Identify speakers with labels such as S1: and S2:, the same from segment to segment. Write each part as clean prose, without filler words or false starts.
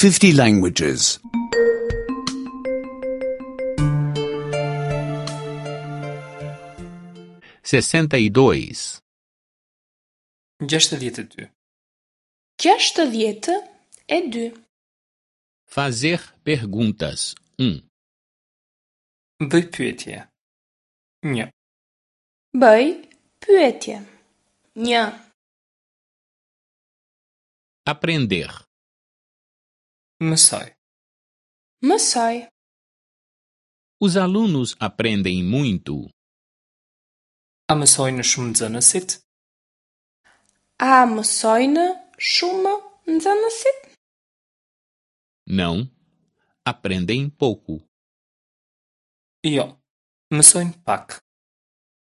S1: 50 languages.
S2: 62.
S3: 62.
S4: 62.
S2: Fazer perguntas 1,
S3: Bëj pyetje. 1.
S4: Bëj pyetje. 1.
S2: Aprender.
S3: Mësoj.
S4: Mësoj.
S2: Os alunos aprendem muito.
S3: A mësojnë shumë nxënësit?
S4: A mësojnë shumë nxënësit?
S2: Não. Aprendem pouco.
S3: Jo. Mësojnë pak.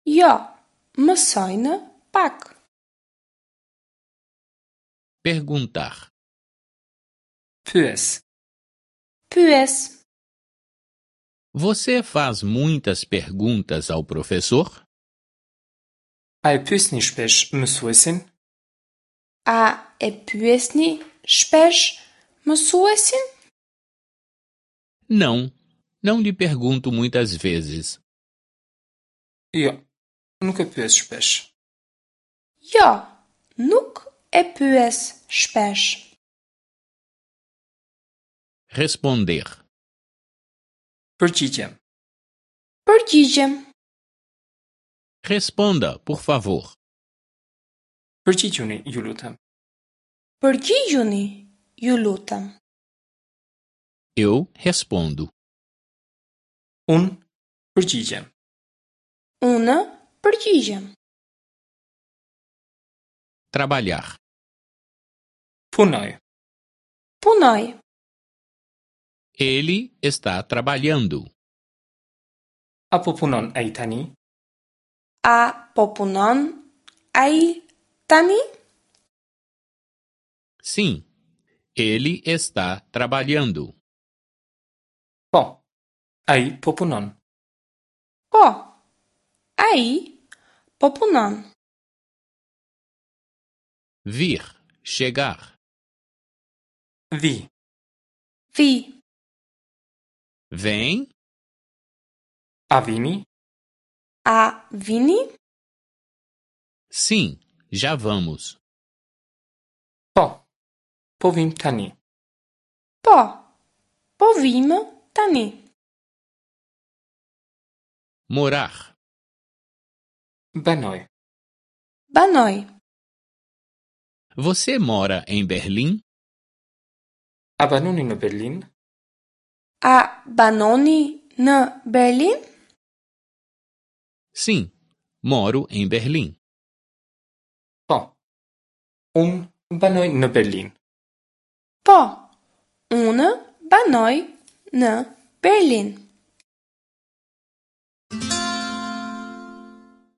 S4: Jo, mësojnë pak.
S2: Perguntar.
S3: Pyes.
S4: Pyes.
S2: Você faz muitas perguntas ao professor?
S3: A e pyesni shpesh mësuesin?
S4: A e pyesni shpesh mësuesin?
S2: Não. Não lhe pergunto muitas vezes.
S3: Jo. Nuk e pyes shpesh.
S4: Jo, nuk e pyes shpesh.
S2: Responder.
S3: Përgjigjem.
S4: Përgjigjem.
S2: Responda, por favor.
S3: Përgjigjuni, ju lutem.
S4: Përgjigjuni, ju lutem.
S2: Eu respondo.
S3: Unë përgjigjem.
S4: Unë përgjigjem.
S2: Trabalhar.
S3: Punoj.
S4: Punoj.
S2: Ele está trabalhando.
S3: A po punon ai tani?
S4: A po punon ai tani?
S2: Sim. Ele está trabalhando.
S3: Po. Ai po punon.
S4: Po. Ai po punon.
S2: Vir. Chegar.
S3: Vi.
S4: Vi.
S2: Vem.
S3: A vini?
S4: A vini?
S2: Sim. Já vamos.
S3: Po. Po vim tani.
S4: Po. Po vijmë tani.
S2: Morar.
S3: Banoj.
S4: Banoj.
S2: Você mora em Berlim?
S3: A banoni në Berlin?
S4: A banoni në Berlin?
S2: Sim. Moro em Berlim.
S3: Po. Unë banoj në Berlin.
S4: Po. Unë banoj në Berlin.